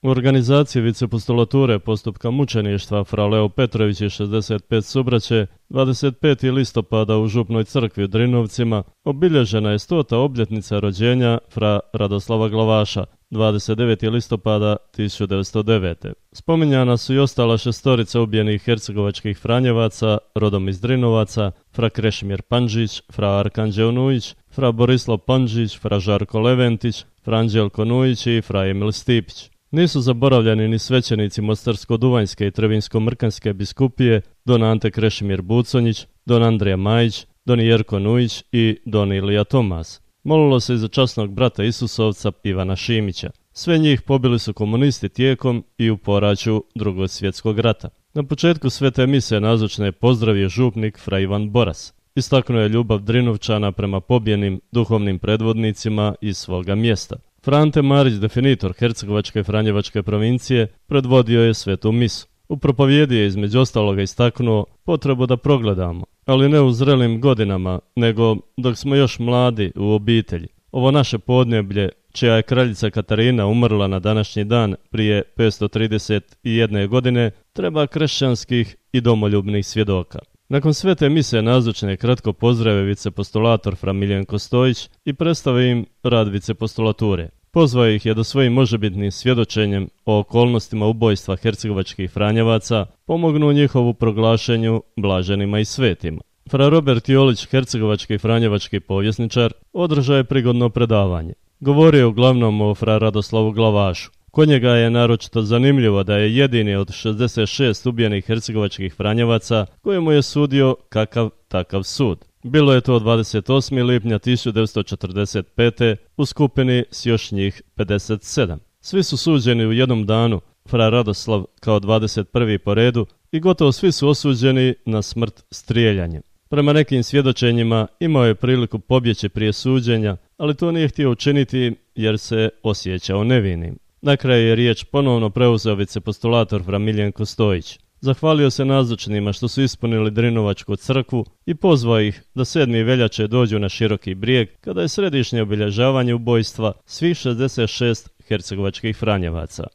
U organizaciji vicepostulature postupka mučeništva fra Leo Petrović i 65 subraće 25. listopada u Župnoj crkvi u Drinovcima obilježena je 100. obljetnica rođenja fra Radoslava Glavaša 29. listopada 1909. Spominjana su i ostala šestorica ubijenih hercegovačkih franjevaca rodom iz Drinovaca, fra Krešimir Pandžić, fra Arkanđeo Nujić, fra Borislav Pandžić, fra Žarko Leventić, fra Anđelko Nujić i fra Emil Stipić. Nisu zaboravljeni ni svećenici Mostarsko-Duvanjske i Trevinsko-Mrkanjske biskupije, don Ante Krešimir Buconjić, don Andrija Majić, don Jerko Nujić i don Ilija Tomas. Molilo se i za časnog brata Isusovca Ivana Šimića. Sve njih pobili su komunisti tijekom i u poraću Drugog svjetskog rata. Na početku svete mise nazočne je pozdravio župnik fra Ivan Boras. Istaknuo je ljubav Drinovčana prema pobjenim duhovnim predvodnicima iz svoga mjesta. Frante Marić, definitor Hercegovačke i Franjevačke provincije, predvodio je svetu misu. U propovjedi je između ostaloga istaknuo potrebu da progledamo, ali ne u zrelim godinama, nego dok smo još mladi u obitelji. Ovo naše podneblje, čija je kraljica Katarina umrla na današnji dan prije 531 godine, treba kršćanskih i domoljubnih svjedoka. Nakon svete mise nazočne je kratko pozdrave vicepostulator fra Miljenko Stojić i predstave im rad vicepostulature. Pozvao ih je da svojim možebitnim svjedočenjem o okolnostima ubojstva hercegovačkih franjevaca pomognu njihovu proglašenju blaženima i svetima. Fra Robert Jolić, hercegovački i franjevački povjesničar, održao je prigodno predavanje. Govorio je uglavnom o fra Radoslavu Glavašu. Kod njega je naročito zanimljivo da je jedini od 66 ubijenih hercegovačkih franjevaca kojemu je sudio kakav takav sud. Bilo je to 28. lipnja 1945. u skupini s još njih 57. Svi su suđeni u jednom danu, fra Radoslav kao 21. po redu, i gotovo svi su osuđeni na smrt strijeljanjem. Prema nekim svjedočenjima imao je priliku pobjeći prije suđenja, ali to nije htio učiniti jer se osjećao nevinim. Na kraju je riječ ponovno preuzeo vicepostulator fra Miljenko Stojić. Zahvalio se nazočnima što su ispunili Drinovačku crkvu i pozvao ih da 7. veljače dođu na Široki brijeg kada je središnje obilježavanje ubojstva svih 66 hercegovačkih franjevaca.